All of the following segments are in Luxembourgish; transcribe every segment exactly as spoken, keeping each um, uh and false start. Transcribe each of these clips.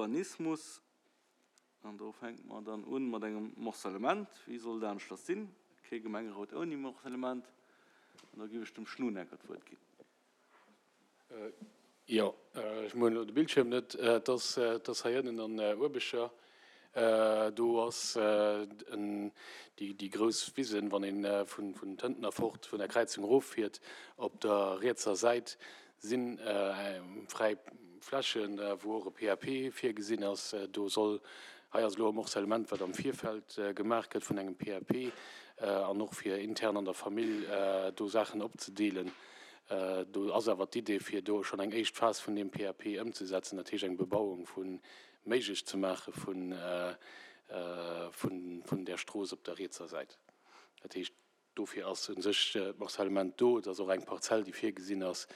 Urbanismus. An do fänke mer dann un mat engem Morcellement. Wéi soll dat aneschters sinn? Kee Gemengerot ouni Morcellement. An da géif ech dem Schnunecker d'Wuert ginn. Jo, ech hunn elo de Bildschierm net. Et ass, et ass hei ënnen an Uerbecher. Do ass déi, déi grouss Wisen, wann ee vun, vun Tëntener fort vun der Kräizung eroffiert, op der rietser Säit si fräi Flächen, wou och e P A P virgesinn ass. Do soll, hei ass elo e Morcellement, wat am Virfeld gemaach gëtt vun engem P A P an och fir intern an der Famill do Saachen opzedeelen. Do ass awer d'Idee, fir do schonn eng éischt Phas vun deem P A P ëmzesetzen, dat heescht eng Bebauung vu méiglech ze maache vun, vun, vun der Strooss op der rietser Säit. Dat heescht, dofir ass u sech d'Morcellement do. Et ass och eng Parzell, déi virgesinn ass,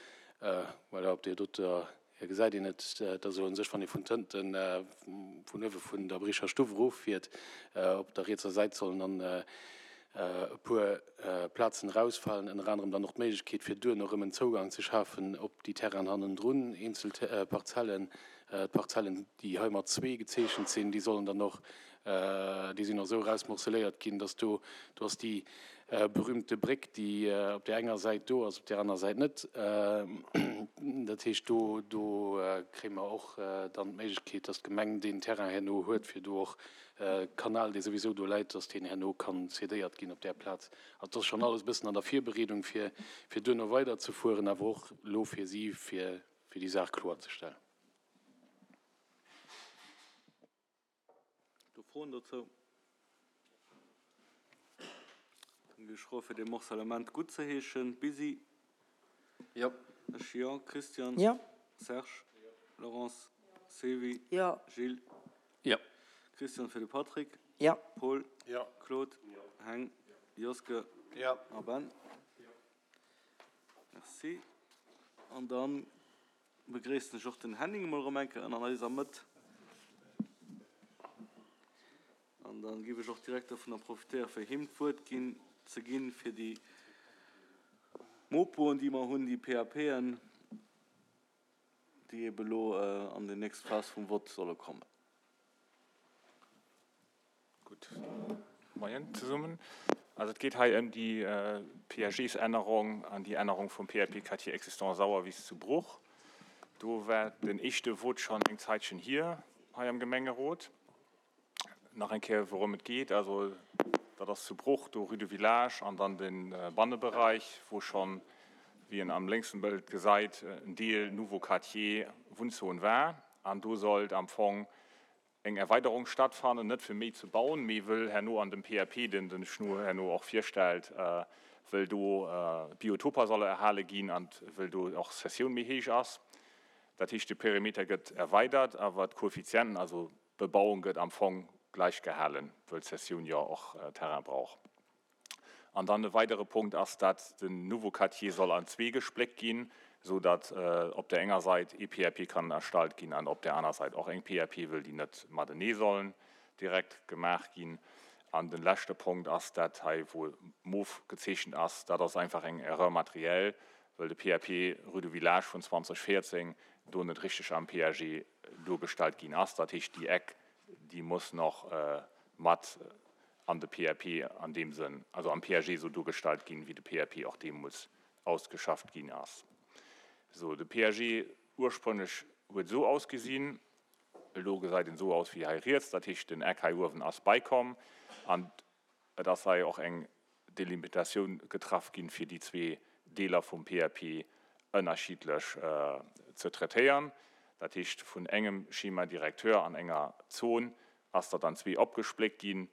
voilà, op där doter gesäit een et, dat ass u sech, wann ee vun Tënten vun uewe vun der Bricher Stuff eroffiert, op der rietser Säit sollen dann e puer Plazen erausfalen, ënner anerem dann och d'Méiglechkeet, fir duerno erëm en Zougang ze schafen op déi Terrainen hannendrun, eenzel Parzellen. D'Parzellen, déi hei mat zwee gezeechent sinn, déi sollen dann och, déi sinn och esou erausmorceléiert ginn, dass do, do ass déi berühmte Bréck, déi op där enger Säit do ass, op där aner Säit net. Dat heescht, do, do kréie mer och dann d'Méiglechkeet, dass d'Gemeng deen Terrain herno huet, fir do och Kanal, dee souwisou do läit, dass deen herno kann cédéiert ginn op där Plaz. Also dat ass schonn alles e bëssen an der Virbereedung, fir, fir duerno weiderzefueren, awer och elo fir si, fir, fir déi Saach kloerzestellen. Do Froen dozou? Dann géif ech froe fir dee Morcellement guttzeheeschen. Bisi? Jo. Ech jo. Christian? Jo. Serge? Laurence? Sylvie? Jo. Gilles? Jo. Christian fir de Patrick? Jo. Paul? Jo. Claude? Heng? Joske? Jo. A Ben? Merci. An dann begréissen ech och den Henning emol erëm eng Kéier an eiser Mëtt. An dann géif ech och direkt dovunner profitéieren, fir him d'Wuert ginn, ze ginn, fir déi Mopoen, déi mer hunn, déi P A P'en, déi ebe lo an déi nächst Phas vum Vott solle kommen. Gutt Moien zesummen. Also et geet hei ëm déi P A Gs-Ännerung an déi Ännerung vum P A P Quartier existant Sauerwiss zu Bruch. Do war den éischte Vote schonn eng Zäitchen hier hei am Gemengerot. Nach eng Kéier, wourëm et geet: Also dat ass zu Bruch, do Rue du Village an dann de Banneberäich, wou schonn, wéi een am lénksen Bëld gesäit, en Deel Nouveau Quartier Wunnzon war. An do sollt am Fong eng Erweiderung stattfannen, net fir méi ze bauen, mee wëll herno an dem P A P, deen den Schnu herno och virstellt, wëll do Biotoper solle erhale ginn an wëll do och Cessioun méi héich ass. Dat heescht, de Perimeter gëtt erweidert, awer d'Koeffizienten, also d'Bebauung gëtt am Fong gläich gehalen, wëll d'Cessioun jo och Terrain brauch. An dann e weidere Punkt ass, dat den Nouveau Quartier soll an zwee gespléckt ginn, sou datt op der enger Säit ee P A P kann erstallt ginn an op der aner Säit och eng P A P, wëll déi net matenee sollen direkt gemaach ginn. An den leschte Punkt ass dat hei, wou mof gezeechent ass, dat ass einfach eng Erreur matérielle, wëll de P A P Rue du Village vun zweedausendvéierzéng do net richteg am P A G duergestallt ginn ass. Dat heescht, déi Eck, déi muss nach mat an de P A P an deem Sënn, also am P A G esou duergestallt ginn, wéi de P A P och deemools ausgeschafft ginn ass. Sou, de P A G ursprünglech huet esou ausgesinn, elo gesäit en esou aus wéi hei riets, dat heescht, den Eck hei uewen ass beikomm an et ass hei och eng Delimitatioun getraff ginn, fir déi zwee Deeler vum P A P ënnerschiddlech ze traitéieren. Dat heescht, vun engem Schéma directeur an enger Zon ass dat an zwee opgespléckt ginn.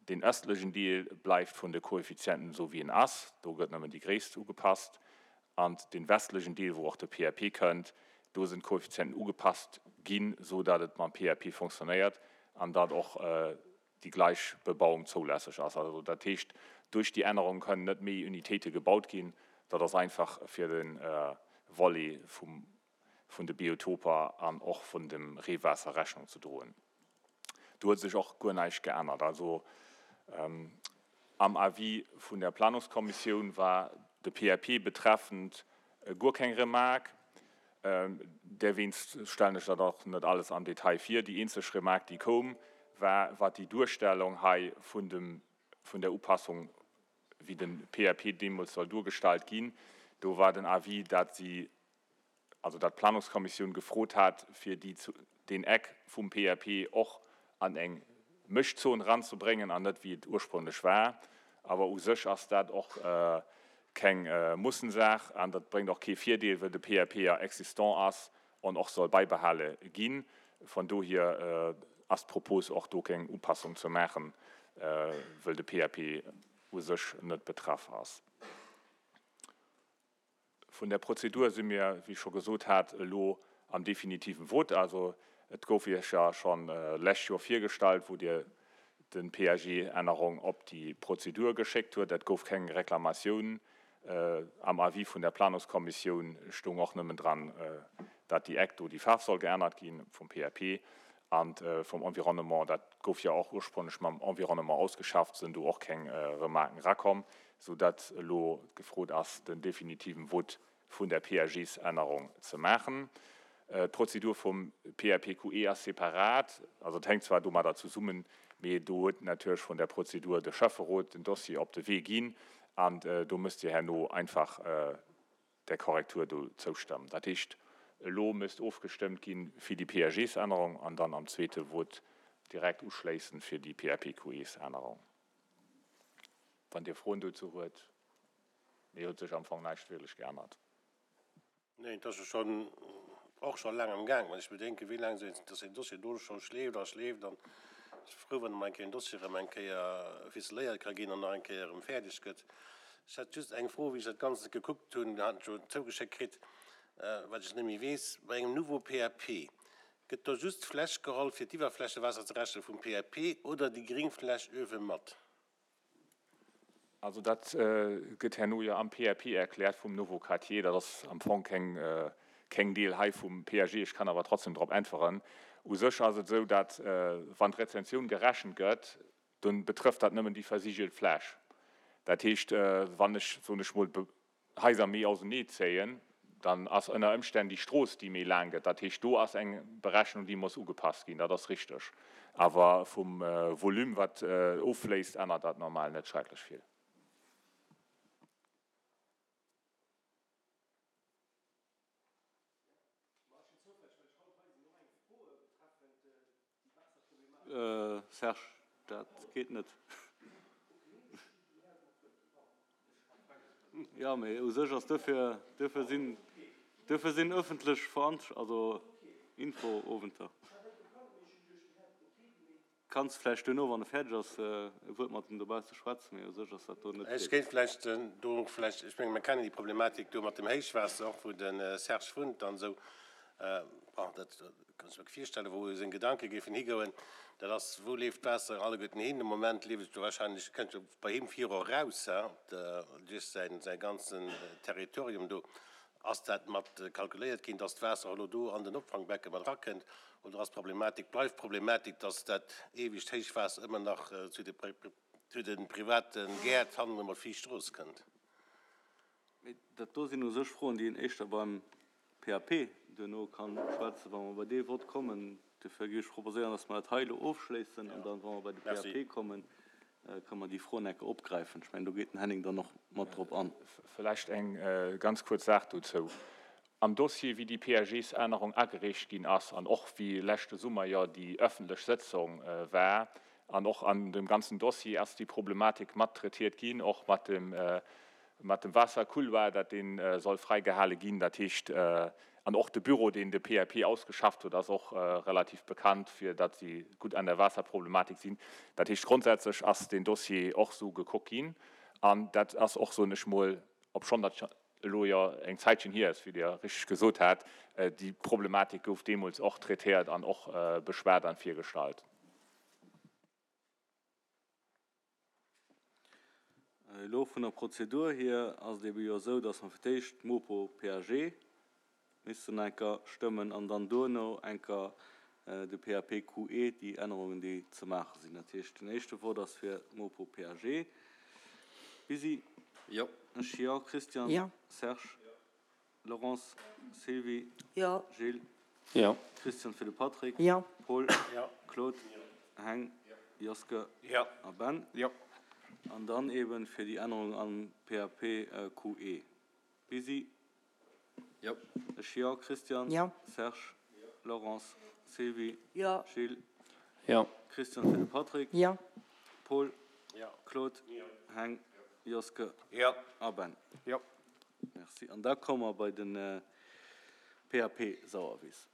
Deen ëstlechen Deel bleift vun de Koeffizienten esou wéi en ass, do gëtt nëmmen déi Gréisst ugepasst, an dee westlechen Deel, wou och de P A P kënnt, do sinn d'Koeffizienten ugepasst ginn, sou datt et mam P A P fonctionnéiert an datt och déi gläich Bebauung zoulässeg ass. Also dat heescht, duerch déi Ännerung kënnen net méi Unitéite gebaut ginn, dat ass einfach fir de Volet vum vun de Biotoper an och vun dem Reewaasser Rechnung ze droen. Do huet sech och guer näischt geännert. Also am Avis vun der Planungskommissioun war de P A P betreffend guer keng Remark. Derwéinst stellen ech dat och net alles am Detail vir. Déi eenzeg Remark, déi koum, war, wat déi Duerstellung hei vun dem, vun der Upassung, wéi de P A P deemools soll duergestallt ginn. Do war den Avis, dat si, also dat d'Planungskommissioun gefrot hat, fir déi, deen Eck vum P A P och an eng Mëschzon ranzebréngen an net wéi et ursprünglech war. Awer u sech ass dat och keng Mussensaach an dat bréngt och kee Virdeel, well de P A P ja existant ass an och soll bäibehale ginn. Von dohier ass d'Propos och do keng Upassung ze maachen, well de P A P u sech net betraff ass. Vun der Prozedur si mir, wéi ech scho gesot hat, elo am definitiven Vote. Also et gouf Iech ja schonn lescht Joer virgestallt, wou Dir de P A G-Ännerung op déi Prozedur geschéckt huet. Et gouf keng Reklamatioun. Am Avis vun der Planungskommissioun stoung och nëmmen dran, dat déi Eck do, déi Faarf soll geännert ginn vum P A P an vum Environnement. Dat gouf ja och ursprünglech mam Environnement ausgeschafft, sinn do och keng Remarken rakomm, soudatt elo gefrot ass, den definitiven Vote vun der P A Gs-Ännerung ze maachen. D'Prozedur vum P A P Q E ass separat, also et hänkt zwar domadder zesummen, mee do huet natierlech vun der Prozedur de Schäfferot den Dossier op de Wee ginn an do müsst Dir herno einfach der Korrektur do zoustëmmen. Dat heescht, elo misst ofgestëmmt ginn fir déi P A Gs-Ännerung an dann am zweete Vote direkt uschléissend fir déi P A P Q Es-Ännerung. Wann Dir Froen dozou huet, mee huet sech am Fong näischt wierklech geännert. Nee, dat ass schonn och scho laang am Gaang. Wann ech bedenken, wéi laang dass den Dossier do scho schleeft a schleeft, an ech frou, wann emol eng Kéier en Dossier erëm eng Kéier ficeléiert ka ginn an nach eng Kéier erëm fäerdeg gëtt. Ech hätt just eng Fro, wéi ech dat Ganzt gekuckt hunn, hat ech jo zougeschéckt kritt, wat ech net méi weess, bei engem Nouveau P A P, gëtt do just d'Fläch geholl, fir d'Iwwerflächewaasser ze rechnen vum P A P oder déi Gringfläch uewe mat? Also dat gëtt herno jo am P A P erkläert vum Nouveau Quartier. Dat ass am Fong keng, keng Deel hei vum P A G. Ech kann awer trotzdem drop äntweren. U sech ass et esou, datt wann d'Retention gerechent gëtt, dann betrëfft dat nëmmen déi versigelt Fläch. Dat heescht, wann ech, soen ech mol, Haiser méi ausenee zéien, dann ass ënner Ëmstänn déi Strooss, déi méi laang gëtt. Dat heescht, do ass eng Berechnung, déi muss ugepasst ginn. Dat ass richteg. Awer vum Volume, wat offléisst, ännert dat normal net schrecklech vill. Serge, dat geet net. Jo, mee u sech ass duerfir, duerfir sinn, duerfir sinn ëffentlech Veranst-, also Infoowenter. Kanns vläicht duerno, wann e fäerdeg ass, e Wuert mat em dobausse schwätzen, mee u sech ass dat do net. Ech géif vläicht do vläicht, ech menge mir kennen déi Problematik do mat dem Héichwaasser och, wou de Serge wunnt an esou, bon, dat kann ech mir virstellen, wou seng Gedanke géifen higoen, dat ass, wou leeft d'Waasser alleguerten hin? De Moment leeft et jo wahrscheinlech, kënnt jo bei him viru eraus, duerch säin, säi ganzen Territorium do. Ass dat mat kalkuléiert ginn, dass d'Waasser elo do an den Opfangbecke mat erakënnt, oder ass d'Problematik, bleift d'Problematik, dass dat eewegt Héichwaasser ëmmer nach zu de, zu de private Gäert hannen ëmmer viischt Strooss kënnt? Mee dat do sinn u sech Froen, déi een éischter beim P A P duerno ka schwätzen, wa mer bei dee Vott kommen. Dofir géif ech proposéieren, dass mer dat hei elo ofschléissen an dann, wa mer bei de P A P kommen, kënne mer déi Froen enke opgräifen. Ech mengen, do geet den Henning dann och mat drop an. Vläicht eng ganz kuerz Saach dozou. Am Dossier, wéi déi P A Gs-Ännerung agereecht ginn ass an och wéi leschte Summer jo déi ëffentlech Sëtzung war, an och an dem ganzen Dossier ass déi Problematik mat traitiert ginn, och mat dem, mat dem Waassercouloir, dat dee soll fräigehale ginn. Dat heescht, an och de Büro, deen de P A P ausgeschafft huet, ass och relativ bekannt, fir datt si gutt an der Waasserproblematik sinn. Dat heescht, grondsätzlech ass deen Dossier och sou gekuckt ginn an dat ass och, soen ech mol, obschonn dat elo jo eng Zäitchen hier ass, wéi Dir richteg gesot hat, déi Problematik gouf deemools och traitéiert an och beschwat an virgestallt. Elo vun der Prozedur hier ass et ebe jo esou, datt mer fir d'éischt d'Mopo P A G missten enker stëmmen an dann duerno enker de P A P Q E, déi Ännerungen, déi ze maache sinn. Dat heescht, den éischte Vott ass fir d'Mopo P A G. Bisi? Jo. Ech jo. Christian? Jo. Serge? Laurence, Sylvie. Jo. Gilles. Jo. Christian fir de Patrick. Jo. Paul. Jo. Claude. Heng. Joske. Jo. A Ben. Jo. An dann eben fir déi Ännerung am P A P Q E. Bisi. Jo. Ech jo. Christian. Jo. Serge. Laurence. Sylvie. Jo. Gilles. Jo. Christian fir de Patrick. Jo. Paul. Jo. Claude. Heng. Joske. Jo. A Ben. Jo. Merci. An da komme mer bei de P A P Sauerwiss.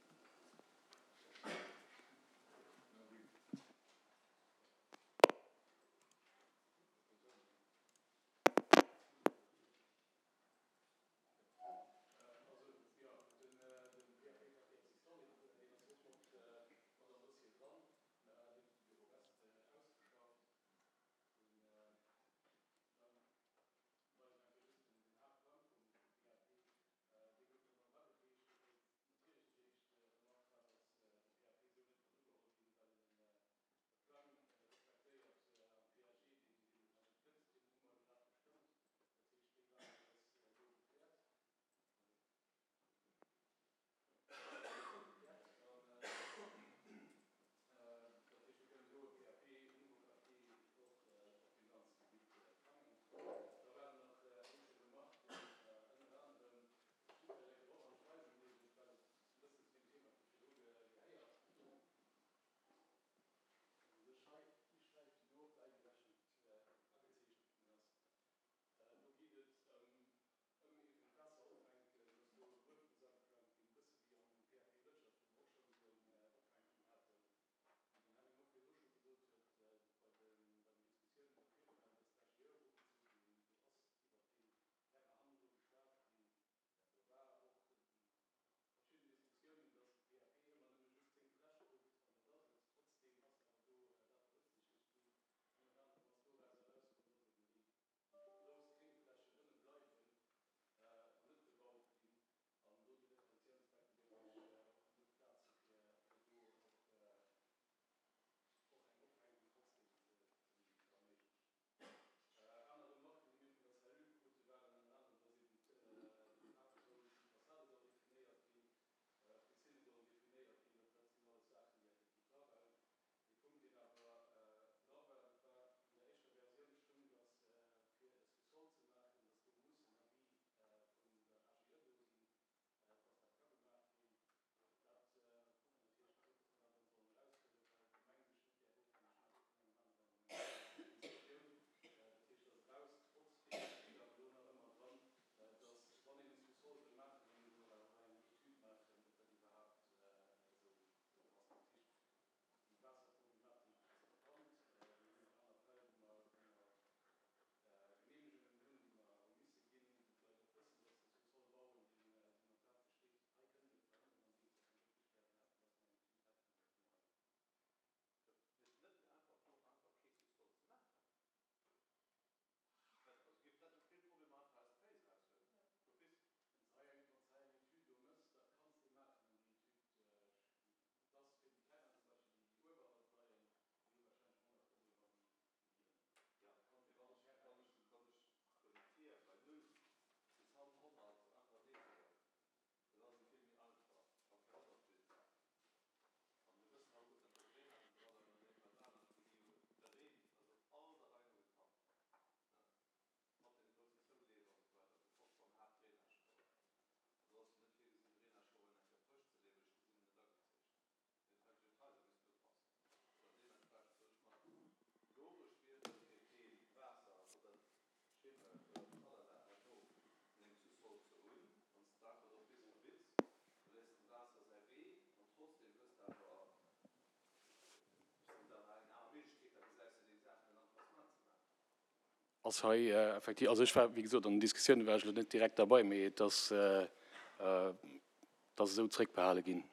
Ass hei effektiv, also ech war, wéi gesot, an den Diskussioune war ech elo net direkt derbei, mee et ass, et ass esou zréckbehale ginn,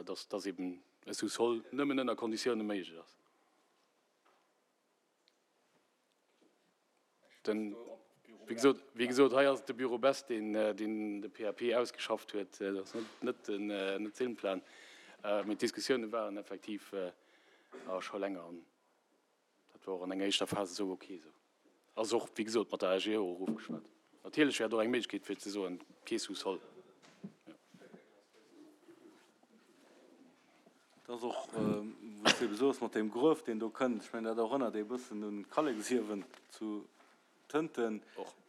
dass, dass eben e Sous-sol nëmmen ënner Konditioune méiglech ass. Den, wéi gesot, wéi gesot, hei ass et de Bureau Best, deen, deen de P A P ausgeschafft huet, dat ass net, net den, net Silmplan. Mee d'Diskussioune waren effektiv scho länger an dat war och an enger éischter Phas esou ok esou. Ass och, wéi gesot, mat der A G E och ofgeschwat. Natierlech wär et och eng Méiglechkeet fir ze soen, kee Sous-sol. Dat ass och, wou s de ebe soos mat deem Gruef, deen do kënnt, ech mengen, dat erënnert ee bëssen un d'Kalleksiewen zu Tënten.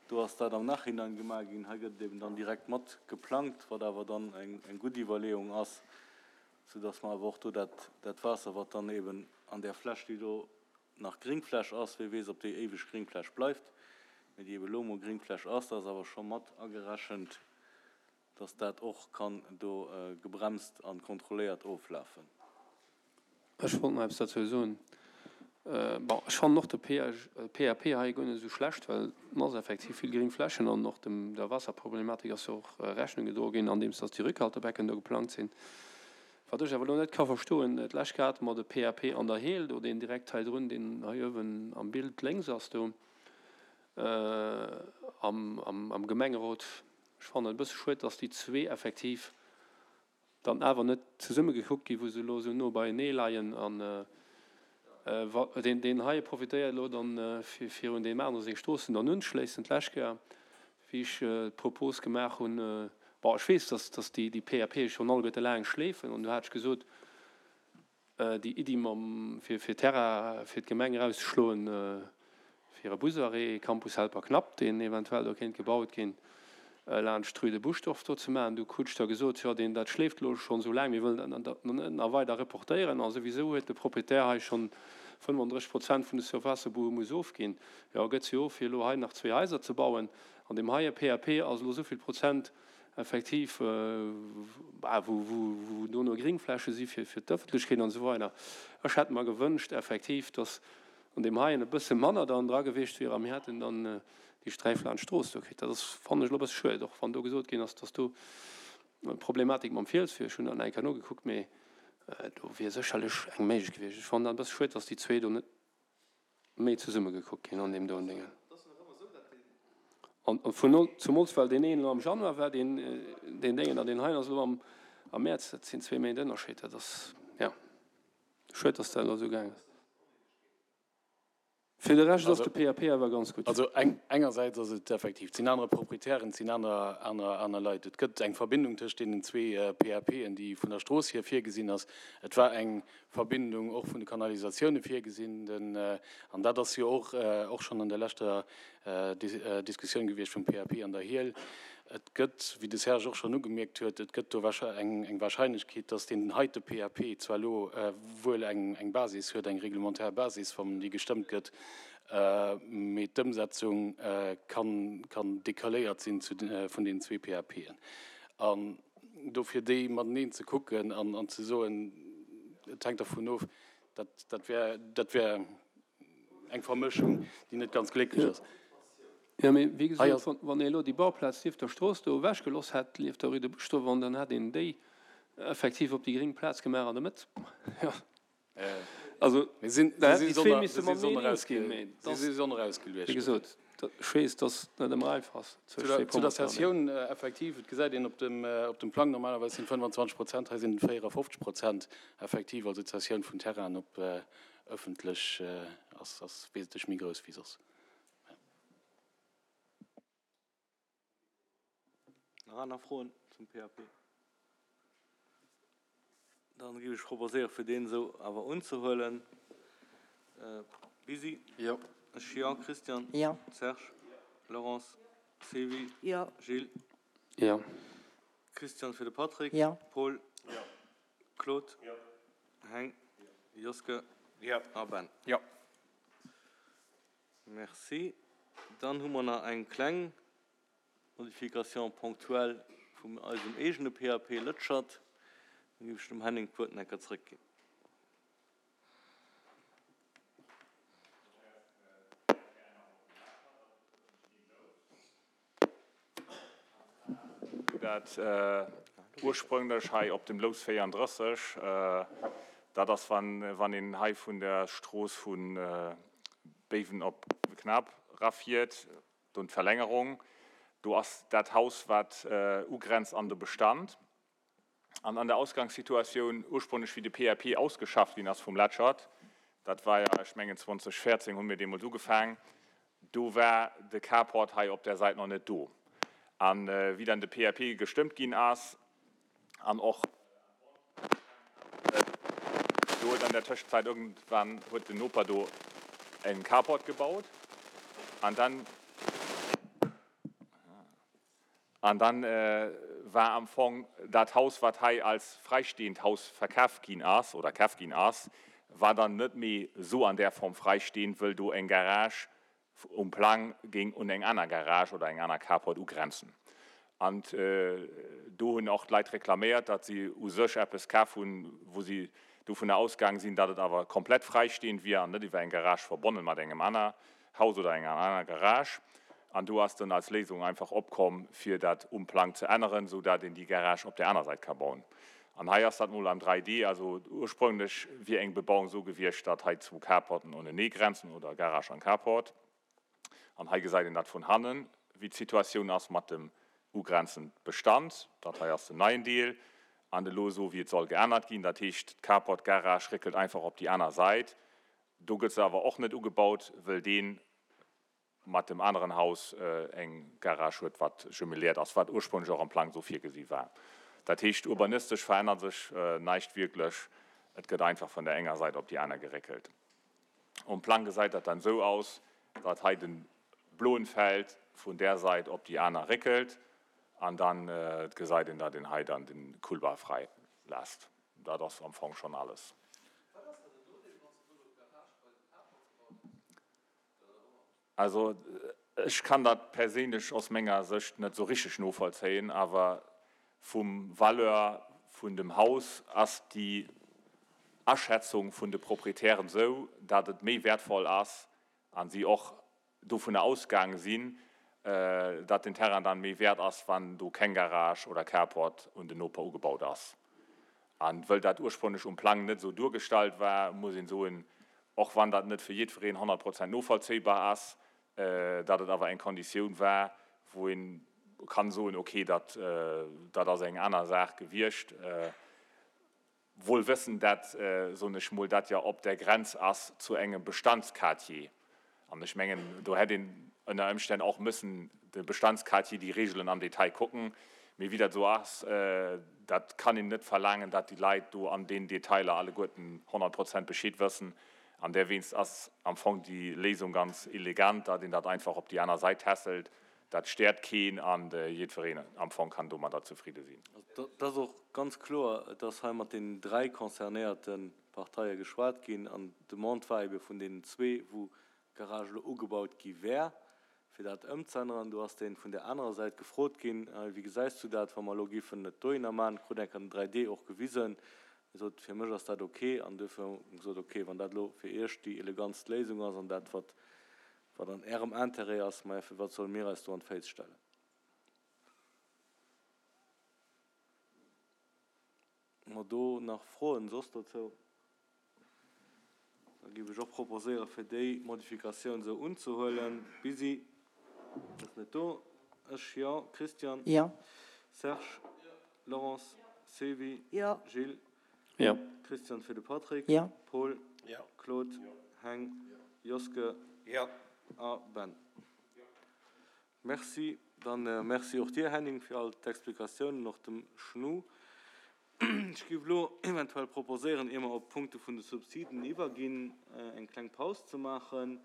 Do ass dat am Nachhinein gemaach ginn. Hei gëtt et eben dann direkt mat geplangt, wat awer dann eng gutt Iwwerleeung ass, soudass mer awer och do dat, dat Waasser, wat dann eben an där Fläch, déi do nach Gringfläch ass, wie weess, ob déi éiweg Gringfläch bleift, mee déi ebe lo emol Gringfläch ass, dat ass awer scho mat agerechent, dass dat och kann do gebremst a kontrolléiert oflafen. Ech wollt nach eppes dozou soen. Bon, ech fannen och de PAP hei guer net esou schlecht, well en ass effektiv vill gréng Flächen an och dem der Wasserproblematik ass jo och Rechnung gedroe ginn, andeems dass déi Rückhaltebecken do geplangt sinn. Wat ech awer elo net ka verstoen, d'lescht Kéier hate mer de PAP an der Heel do, deen direkt hei drun, deen hei uewen am Bild lénks ass do am, am Gemengerot. Ech fannen et e bësse schued, dass déi zwee effektiv dann awer net zesumme gekuckt ginn, wou se elo esou no beienee leien. An deen, deen heie profitéiert elo dann, fir virun deem anere seng Stroossen dann unzeschléissen. D'lescht Kéier, wéi ech d'Propos gemaach hunn, bon, ech weess, dass, dass déi, déi PAPe schonn alleguerte laang schleefen, an du hat ech gesot, Déi Iddi mam, fir fir Terrain fir d'Gemeng erauszeschloen, fir e Busarrêt Campus Helperknapp, deen eventuell do kéint gebaut ginn, laanscht d'Rue de Buschdorf do ze maachen. Du krut ech da gesot, jo, deen, dat schleeft elo schonn esou laang, mir wëllen dat net nach weider reportéieren. A souwisou huet de Proprietär hei schonn fënnfandrësseg Prozent vun de Surfacë wou e muss ofginn. Jo, gëtt se of, fir elo hei nach zwee Haiser ze bauen. An deem heie PAP ass elo esou vill Prozent effektiv, wou dono Gringfläche si fir d'Ëffentlechkeet an esou weider. Ech hätt mer gewënscht effektiv, datt an deem heien e bësse manner dann dra gewiescht wier a mir hätten dann déi Sträif laanscht d'Strooss do kritt. Dat ass, fannen ech, elo e bësse schued, och wann do gesot ginn ass, datt do Problematik mam Fiels wier. Ech hunn dat nach eng Kéier nogekuckt, mee do wier sécherlech eng méiglech gewiescht. Ech fannen dat e bësse schued, datt déi zwee do net méi zesumme gekuckt ginn an deem doen Déngen. An vun zumools well deen een elo am Januar war, deen deen Déngen, an deen heien ass elo am am Mäerz, dat sinn zwee Méint Ënnerscheed. Dat ass, jo, schued, datt dat elo esou gaang ass. Fir de Rescht ass de PAP awer ganz gutt. Also engersäits ass et effektiv, et sinn aner Proprietären, et sinn aner, aner, aner Leit. Et gëtt eng Verbindung tëscht deenen zwee PAPen, déi vun der Strooss hier virgesinn ass. Et war eng Verbindung och vun de Kanalisatioune virgesinn. Den, an dat ass jo och, och schonn an der leschter Diskussioun gewiescht vum PAP an der Hiel. Et gëtt, wéi de Serge och schonn ugemierkt huet, et gëtt do eng Wahrscheinlechkeet, dass deen heite PAP zwar elo wuel eng Basis huet, eng reglementaire Basis, wann déi gestëmmt gëtt, mee d'Ëmsetzung kann decaléiert sinn vun deenen zwee PAPen. An dofir déi mateneen ze kucken an ze soen, et hänkt dervun of, dat wär, dat wär eng Vermëschung, déi net ganz glécklech ass. Jo, mee wéi gesot, wann ee elo déi Bauplaz nieft der Strooss do ewechgeloss hätt, nieft der Rue de Buschdorf, dann hätt een déi effektiv op déi gréng Plaz gemaach an der Mëtt. Jo, also da hätten déi zwee misse mateneen eens ginn. Mee wéi gesot, ech weess, dass et net ëmmer einfach ass zwëscht zwee Zu der Promoteuren. Cessioun, effektiv, et gesäit een op dem, op dem Plang, normalerweis sinn fënnwanzwanzeg Prozent, hei sinn et véierafofzeg Prozent effektiv, also d'Cessioun vun Terrainen op ëffentlech ass, ass wesentlech méi grouss wéi soss. Nach aner Froen zum PAP? Dann géif ech proposéieren, fir deen esou awer unzehuelen. Bisi? Jo. Ech, jo. Christian? Jo. Serge? Laurence? Sylvie? Jo. Gilles? Jo. Christian fir de Patrick? Jo. Paul? Jo. Claude? Jo. Heng? Joske? Jo. A Ben? Jo. Merci. Dann hu mer nach eng kleng Modification ponctuelle vum eisem eegene PAP Lëtschert. Da géif ech dem Henning d'Wuert nach eng Kéier zrëckginn. Dat ursprünglech hei op dem Lous véierandrësseg, dat ass, wann een hei vun der Strooss vu Béiwen op Knap rafiert, do d'Verlängerung, do ass dat Haus, wat ugrenzt an de Bestand. An an der Ausgangssituatioun, ursprünglech wéi de P A P ausgeschafft ginn ass vum Letschert, dat war jo, ech mengen zweedausendvéierzéng hu mir deemools ugefaang, do war de Carport hei op där Säit nach net do. A wéi dann de P A P gestëmmt ginn ass an och Do huet an der Tëschenzäit irgendwann huet den Noper do en Carport gebaut an dann an dann war am Fong dat Haus, wat hei als fräistehend Haus verkaf ginn ass oder kaf ginn ass, war dann net méi esou an där Form fräistehend, wëll do eng Garage um Plang géing un eng aner Garage oder eng aner Carport ugrenzen. An do hunn och d'Leit reklaméiert, datt si u sech eppes kaf hunn, wou si dovunner ausgaang sinn, datt et awer komplett fräistehend wier an net iwwer eng Garage verbonnen mat engem aner Haus oder enger aner Garage. An do ass dann als Léisung einfach opkomm, fir dat um Plang ze änneren, sou dat een déi Garage op där aner Säit ka bauen. An hei ass dat mol am dräi D. Also ursprünglech wier eng Bebauung sou gewiescht, datt hei zwou Carporten unenee grenzen oder Garage an Carport. An hei gesäit een dat vun hannen, wéi d'Situatioun ass mat dem ugrenzend Bestand. Dat hei ass den neien Deel. An elo esou, wéi et soll geännert ginn. Dat heescht, d'Carport-Garage réckelt einfach op déi aner Säit. Do gëtt se awer och net ugebaut, wëll dee mat dem aneren Haus eng Garage huet, wat jumeléiert ass, wat ursprünglech och am Plang esou virgesi war. Dat heescht, urbanistesch verännert sech näischt wierklech. Et gëtt einfach vun der enger Säit op déi aner geréckelt. Um Plang gesäit dat dann esou aus, datt hei de bloen Feld vun där Säit op déi aner réckelt an dann gesäit een, datt een hei dann de Couloir fräi lässt. Dat ass am Fong schonn alles. Also ech kann dat perséinlech aus menger Sécht net esou richteg novollzéien, awer vum Valeur vun dem Haus ass déi Aschätzung vun de Proprietären esou, dat et méi wäertvoll ass a si och dovunner ausgaange sinn, dat den Terrain dann méi wäert ass, wann do keng Garage oder Carport un den Noper ugebaut ass. A wëll dat ursprünglech um Plang net esou duergestallt war, muss een soen, och wann dat net fir jiddwereen honnert Prozent novollzéibar ass, datt et awer eng Konditioun war, wou ee kann soen, okay, dat dat ass eng aner Saach gewiescht, wuel wëssend, dat, soen ech mol, dat jo op der Grenz ass zu engem Bestandsquartier. An ech mengen, do hätt een ënner Ëmstänn och mëssen de Bestandsquartier, déi Regeln am Detail kucken. Mee wéi dat esou ass, dat kann een net verlaangen, dat déi Leit do an deenen Detailer alleguerten honnert Prozent Bescheed wëssen. An derwéinst ass am Fong déi Léisung ganz elegant, datt een dat einfach op déi aner Säit tässelt. Dat stéiert keen an jiddwereen am Fong kann domadder zefridde sinn. Et ass och ganz kloer, et ass hei mat deenen dräi concernéierte Parteie geschwat ginn an d'Demande war ebe vun deenen zwee, wou d'Garage elo ugebaut gi wär, fir dat ëmzeänneren. Do ass dee vun där anerer Säit gefrot ginn, Wéi gesäis du dat, wa mer elo géifen et dohinner maachen? Krut eng Kéier den dräi D och gewisen. Hie sot, Fir mech ass dat ok. An duerfir hu mer gesot, Ok, wann dat elo fir Iech déi elegantst Léisung ass an dat, wat wat an Ärem Intérêt ass, maja, firwat solle mir eis do an d'Féiss stellen? Hu mer do nach Froen soss dozou? Da géif ech och proposéieren, fir déi Modifikatioun esou unzehuelen. Bisi ass net do. Ech, jo. Christian? Jo. Serge? Jo. Laurence? Jo. Sylvie? Jo. Gilles? Jo. Christian fir de Patrick? Jo. Paul? Jo. Claude? Jo. Heng? Jo. Joske? Jo. A Ben? Jo. Merci. Dann merci och dir, Henning, fir all d'Explikatiounen, och dem Schnu. Ech géif elo eventuell proposéieren, ier mer op d'Punkte vun de Subsiden iwwerginn, eng kleng Paus ze maachen.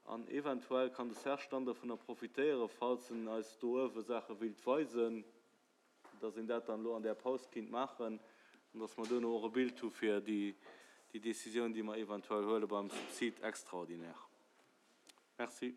An eventuell kann de Serge dann dovunner profitéieren, falls en eis do uewe Saache wéilt weisen, dass een dat dann elo an där Paus kinnt maachen an dass mer duerno och e Bild hu fir déi Décisioun, déi mer eventuell huele beim Subside extraordinaire. Merci.